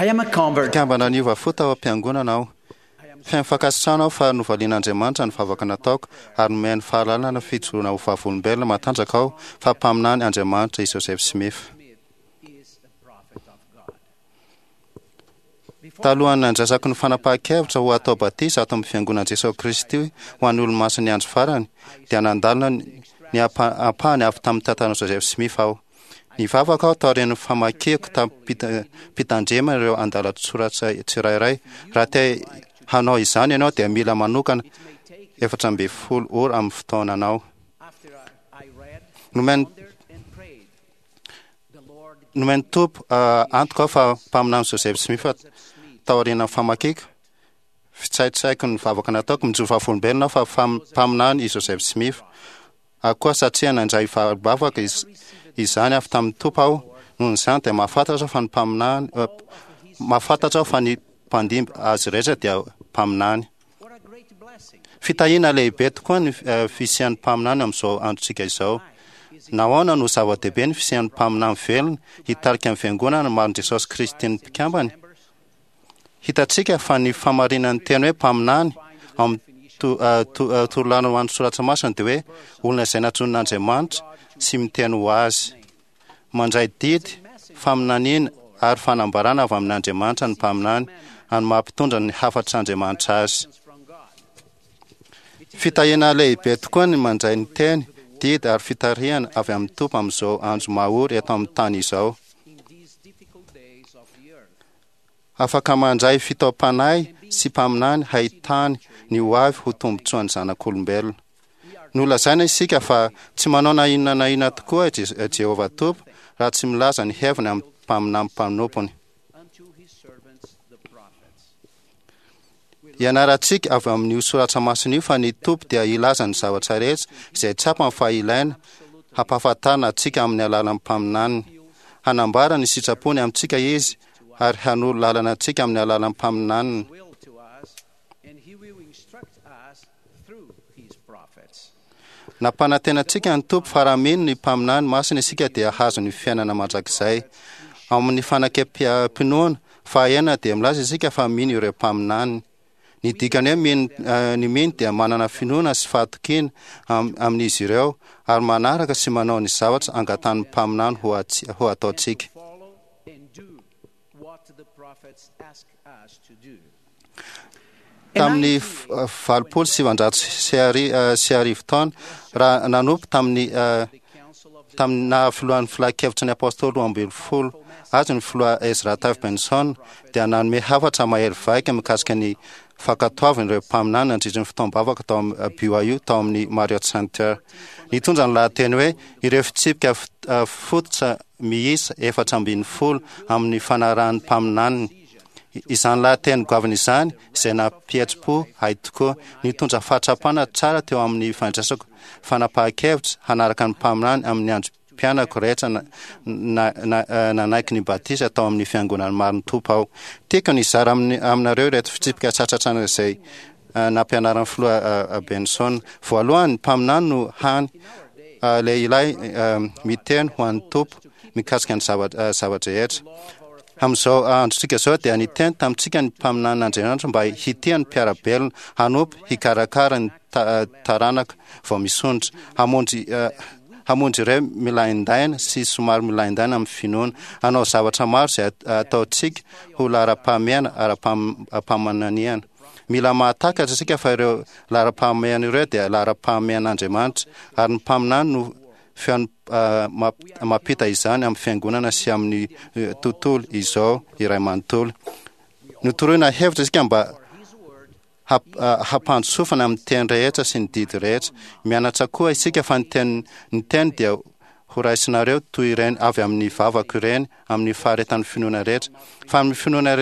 I am a convert. Mpikambana niova fo tao am-piangonana aho. Feno fankasitrahana aho fa novalian'Andriamanitra ny vavaka nataoko ary nomeny fahalalana fijoroana ho vavolombelona matanjaka aho fa mpaminany Andriamanitra i Joseph Smith. Is a prophet of God. Talohan'ny nandraisako ny fanapahan-kevitra ho atao batisa ato amin'ny fiangonan'i Jesosy Kristy ho an'ny olomasin'ny andro farany, dia nandalina ny ampahany avy tamin'ny tantaran'i Joseph Smith aho. Nivavaka aho taorian'ny famakiako tamim-pitandremana ireo andalan-tsoratra tsirairay. Raha te hanao izany ianao dia mila manokana 14 ora amin'ny fotoananao. After I read, Nomen'ny pondered and prayed, the Lord nomen'ny Tompo antoka aho fa mpaminany Joseph Smith taorian'ny famakiako fitsaitsaiko ny vavaka nataoko mijoro vavolombelona aho fa mpaminany i Joseph Smith. Ary koa satria nandray vavaka izany avy tamin'ny Tompo aho, noho izany dia mahafantatra aho fa ny mpaminany, mahafantatra aho fa ny mpandimby azy rehetra dia mpaminany. What a great blessing. Fitahiana lehibe tokoa ny fisian'ny mpaminany amin'izao androntsika izao. Nahoana no zava-dehibe ny fisian'ny mpaminany velona hitarika ny fiangonana marin'i Jesosy Kristy ny mpikambany? Hitantsika fa ny famarinan'ny teny hoe mpaminany ao amin'ny torolàlana ho an'ny soratra masina dia hoe olona izay nantsoin'Andriamanitra sy miteny ho azy. Mandray didy, faminaniana ary fanambarana avy amin'Andriamanitra ny mpaminany ary mampitondra ny hafatr'Andriamanitra azy. From God. Fitahiana lehibe tokoa ny mandray ny teny, didy ary fitarihana avy amin'ny Tompo amin'izao andro mahory eto amin'ny tany izao. In these difficult days of the earth. Afaka mandray fitaom-panahy sy mpaminany hahitany ny ho avy ho tombontsoan'ny zanak'olombelona. Nolazaina isika fa tsy manao na inona na inona tokoa Jehovah Tompo raha tsy milaza ny heviny amin'ny mpaminany mpanompony. Unto his servants the prophets. Ianarantsika avy amin'io soratra masina io fa ny Tompo dia hilaza ny zavatra rehetra izay tsapany fa ilaina hampahafantarina antsika amin'ny alalan'ny mpaminaniny. Hanambara ny sitrapony amintsika izy ary hanoro lalana antsika amin'ny alalan'ny mpaminaniny. Will to us, and he will instruct us through his prophets. Nampanantena antsika ny Tompo fa raha mino ny mpaminany masina isika dia hahazo ny fiainana mandrakizay. Ao amin'ny fanekempiha-pinoana fahaenina dia milaza isika fa mino ireo mpaminany. Ny dikany hoe mino, ny mino dia manana finoana sy fahatokiana amin'izy ireo ary manaraka sy manao ny zavatra angatahan'ny mpaminany ho ataontsika. Follow and do what the prophets ask us to do. Tamin'ny 1980 taona, raha nanompo tamin'ny The council of the tamin'ny naha filohan'ny filan-kevitry ny apôstôly 12 azy ny filoha Ezra Taft Benson dia nanome hafatra mahery vaika mikasika ny fankatoavan'ireo mpaminany nandritra ny fotoam-bavaka tao amin'ny BYU tao amin'ny Marriott Center. Nitondra ny lahateny hoe ireo fitsipika fototra miisa 14 amin'ny fanarahan'ny mpaminaniny. Izany lahateny goavana izany izay nampihetsi-po ahy tokoa, nitondra fahatsapana tsara teo amin'ny fandraisako fanapahan-kevitra hanaraka ny mpaminany amin'ny androm-piainako rehetra nanaiky ny batisa tao amin'ny fiangonan'ny marin'ny Tompo aho. Tiako ny hizara aminareo ireto fitsipika tsatratrana izay nampianaran'ny filoha Benson. Voalohany, ny mpaminany no hany lehilahy miteny ho an'ny Tompo mikasika ny zava-drehetra. Amin'izao androntsika izao dia niteny tamintsika ny mpaminanin'Andriamanitra mba hitia ny mpiara-belona, hanompo, hikarakara ny taranaka vao misondrotra, hamonjy ireo milaindaina sy somary milaindaina amin'ny finoana, hanao zavatra maro izay ataontsika ho laharam-pahamehana ara-paminaniana. Mila mahatakatra isika fa ireo laharam-pahamehana ireo dia laharam-pahamehan'Andriamanitra ary ny mpaminany no feony mampita izany amin'ny fiangonana sy amin'ny tontolo izao iray manontolo. Notoroina hevitra isika mba hampandrosofana amin'ny teny rehetra sy ny didy rehetra. Mianatra koa isika fa ny teny dia ho raisinareo toy ireny avy amin'ny vavako ireny amin'ny faharetan'ny finoana rehetra. Fa amin'ny finoana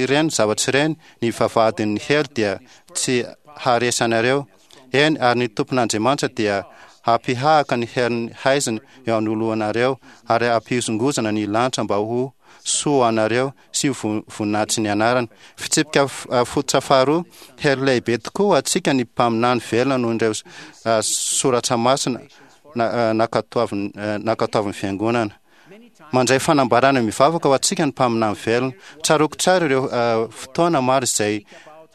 ireny zavatra ireny, ny vavahadin'ny helo dia tsy haharesy anareo. Eny, ary ny Tompon'Andriamanitra dia hampihahaka ny herin'ny haizina eo anoloanareo ary hampihozongozona ny lanitra mba ho soa ho anareo sy ho voninahitry ny anarany. Fitsipika fototra faharoa, hery lehibe tokoa ho antsika ny mpaminany velona noho ireo soratra masina nankatoavin'ny fiangonana. Mandray fanambarana mivavaka ho antsika ny mpaminany velona. Tsaroako tsara ireo fotoana maro izay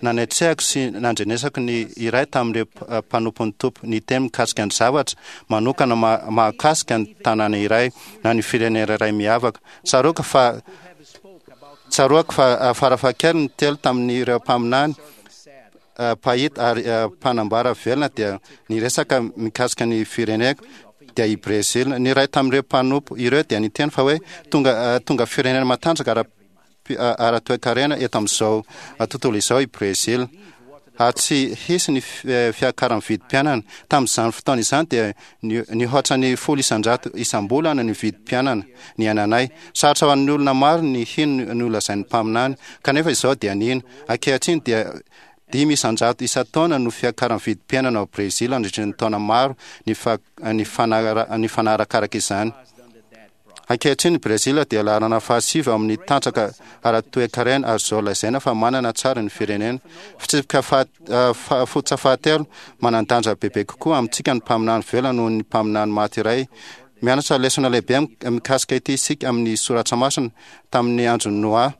nanatrehako sy nandrenesako ny iray tamin'ireo mpanompon'ny Tompo niteny mikasika ny zavatra manokana mahakasika ny tanàna iray na ny firenena iray miavaka. Tsaroako fa tsaroako fa farafahakeliny telo tamin'ireo mpaminany mpahita ary mpanambara velona dia niresaka mikasika ny fireneko dia i Brésil. Ny iray tamin'ireo mpanompo ireo dia niteny fa hoe tonga tonga firenena matanjaka ara ara-toekarena eto amin'izao tontolo izao i Brésil. Ary tsy hisy ny fiakaran'ny vidim-piainana. Tamin'izany fotoana izany dia nihoatra ny 10% isam-bolana ny vidim-piainana niainanay. Sarotra ho an'ny olona maro ny hino ny nolazain'ny mpaminany, kanefa izao dia nino. Ankehitriny dia 5% isan-taona no fiakaran'ny vidim-piainana ao Brésil nandritra ny taona maro ny fanarakaraka izany. Ankehitriny, Brezila dia laharana fahasivy ao amin'ny tanjaka ara-toekarena ary izao lazaina fa manana tsara ny firenena. Fitsipika fototra fahatelo, manan-danja bebe kokoa amintsika ny mpaminany velona noho ny mpaminany maty iray. Mianatra lesona lehibe mikasika ity isika amin'ny soratra masina. Tamin'ny andron'i Noa,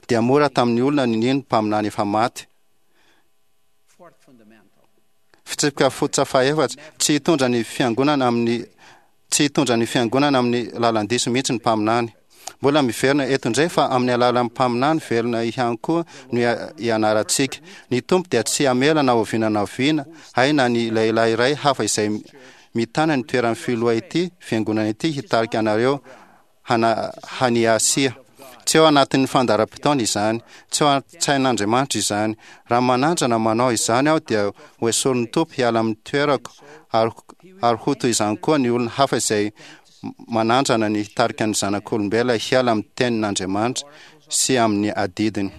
dia mora tamin'ny olona ny nino mpaminany efa maty. Fitsipika fototra fahaefatra, tsy hitondra ny fiangonana amin'ny tsy hitondra ny fiangonana amin'ny lalan-diso mihitsy ny mpaminany. Mbola miverina eto indray fa amin'ny alalan'ny mpaminany velona ihany koa no ianarantsika. Ny Tompo dia tsy hamela na oviana na oviana hay na ny lehilahy iray hafa izay mitana ny toeran'ny filoha ity fiangonana ity hitarika anareo hana haniasia. Tsy ao anatin'ny fandaharam-potoana izany. Tsy ao an-tsain'Andriamanitra izany. Raha manandrana manao izany aho dia ho esorin'ny Tompo hiala amin'ny toerako ary ary ho toy izany koa ny olona hafa izay manandrana ny hitarika ny zanak'olombelona hiala amin'ny tenin'Andriamanitra sy amin'ny adidiny.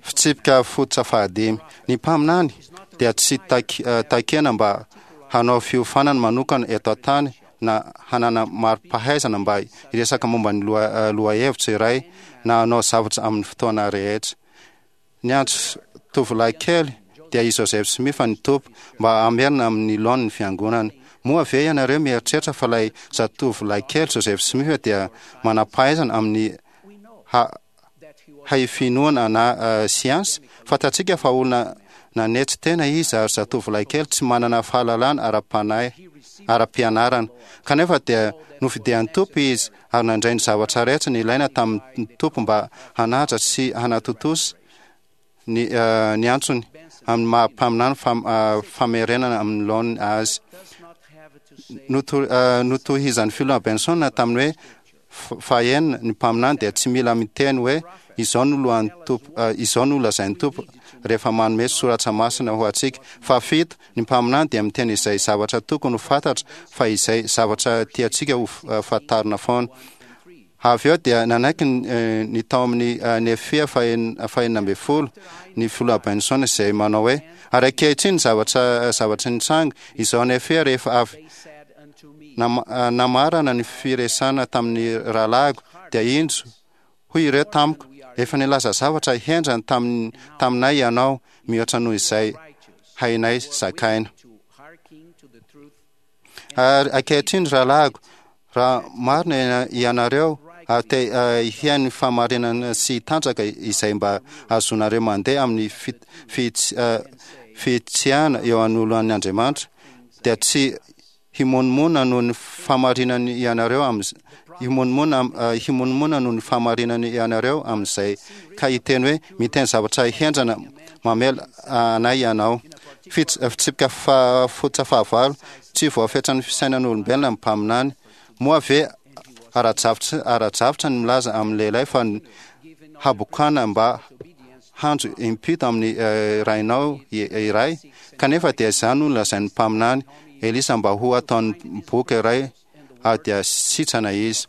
Fitsipika fototra fahadimy, Ny mpaminany dia tsy takiana mba hanao fiofanana manokana eto an-tany na hanana mari-pahaizana mba hiresaka momba ny lohahevitra iray na hanao zavatra amin'ny fotoana rehetra. Niantso tovolahy kely dia i Joseph Smith ny Tompo mba hamerina amin'ny laoniny ny Fiangonana. Moa ve ianareo mieritreritra fa ilay zatovolahy kely Joseph Smith dia manam-pahaizana amin'ny haifinoana na siansa? Fantatsika fa olona nanetry tena izy ary zatovolahy kely tsy manana fahalalana ara-panahy, ara-pianarana. Kanefa dia nofidian'ny Tompo izy ary nandray ny zavatra rehetra nilaina tamin'ny Tompo mba hanaja sy hanatontosa ny ny antsony amin'ny maha mpaminany famerenana amin'ny laoniny azy. Notohizan'ny filoha Benson tamin'ny hoe fahenina, ny mpaminany dia tsy mila miteny hoe izao no lohan'ny Tompo, izao no lazain'ny Tompo rehefa manome soratra masina ho antsika. Fahafito, ny mpaminany dia miteny izay zavatra tokony ho fantatra fa izay zavatra tiantsika ho fantarina foana. Avy eo dia nanaiky ny tao amin'ny Nefia faha-16 ny filoha Benson izay manao hoe, Ary ankehitriny zavatra zavatra nitranga izao Nefia rehefa avy namarana ny firesahana tamin'ny rahalahiko dia indro hoy ireo tamiko, Efa nilaza zavatra henjana taminay ianao mihoatra noho izay hainay zakaina. Ary ankehitriny, rahalahiko, raha marina ianareo ary te hihaino ny fahamarinana sy hitanjaka izay mba hahazoanareo mandeha amin'ny fihitsiana eo anoloan'ny Andriamanitra, dia tsy himonomonona noho ny fahamarinany ianareo amin'ny himonomonona himonomonona noho ny fahamarinany ianareo amin'izay ka hiteny hoe miteny zavatra henjana mamela anay ianao. Fitsipika fototra fahavalo, Tsy voafetran'ny fisainan'olombelona ny mpaminany. Moa ve ara-drafitra ny milaza amin'ny lehilahy fa ny habokana mba hanjo impito amin'ny rainao iray? Kanefa dia izany no nolazain'ny mpaminany Elisa mba ho ataon'ny boka iray ary dia sitrana izy.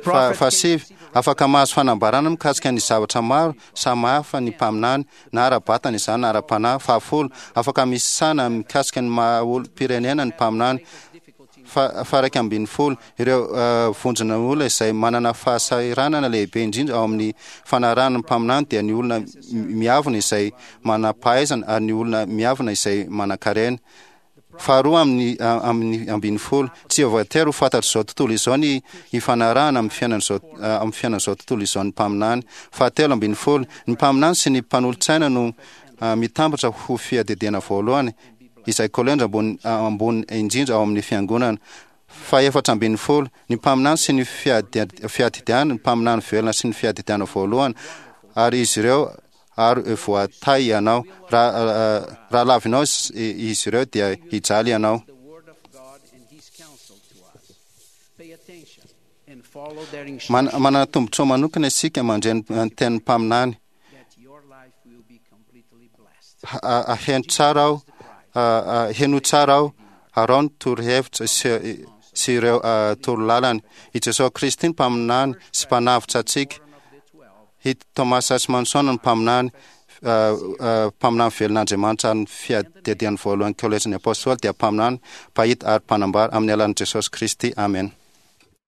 Fahasivy, afaka mahazo fanambarana mikasika ny zavatra maro samy hafa ny mpaminany, na ara-batana izany na ara-panahy. Fahafolo, afaka misana mikasika ny maha olom-pirenena ny mpaminany. Faha-11, Ireo vondrona olona izay manana fahasahiranana lehibe indrindra ao amin'ny fanarahana ny mpaminany dia ny olona miavona izay manam-pahaizana ary ny olona miavona izay manankarena. Faharoa amin'ny amin'ny ambin'ny folo, tsy voatery ho fantatr'izao tontolo izao ny hifanarahana amin'ny fiainan'izao amin'ny fiainan'izao tontolo izao ny mpaminany. Fahatelo ambin'ny folo, ny mpaminany sy ny mpanolotsaina no mitambatra ho fiadidiana voalohany izay kolejy ambony ambony indrindra ao amin'ny fiangonana. Faha-14, ny mpaminany sy ny fiadidiana, ny mpaminany velona sy ny fiadidiana voalohany, ary izy ireo ary voatahy ianao. Raha lavinao izy ireo dia hijaly ianao. The word of God and his counsel to us. Pay attention and follow their instructions Manana tombontsoa manokana isika mandre ny tenin'ny mpaminany. That your life will be completely blessed. Heno tsara aho, heno tsara aho, araho ny torohevitra sy ireo torolalany. I Jesosy Kristy ny mpaminany sy mpanavotra antsika. One of the 12 I Thomas S. Monson ny mpaminany velon'Andriamanitra ary ny fiadidiany voalohany kolejin'ny apôstôly dia mpaminany, mpahita ary mpanambara amin'ny alalan'i Jesosy Kristy. Amen.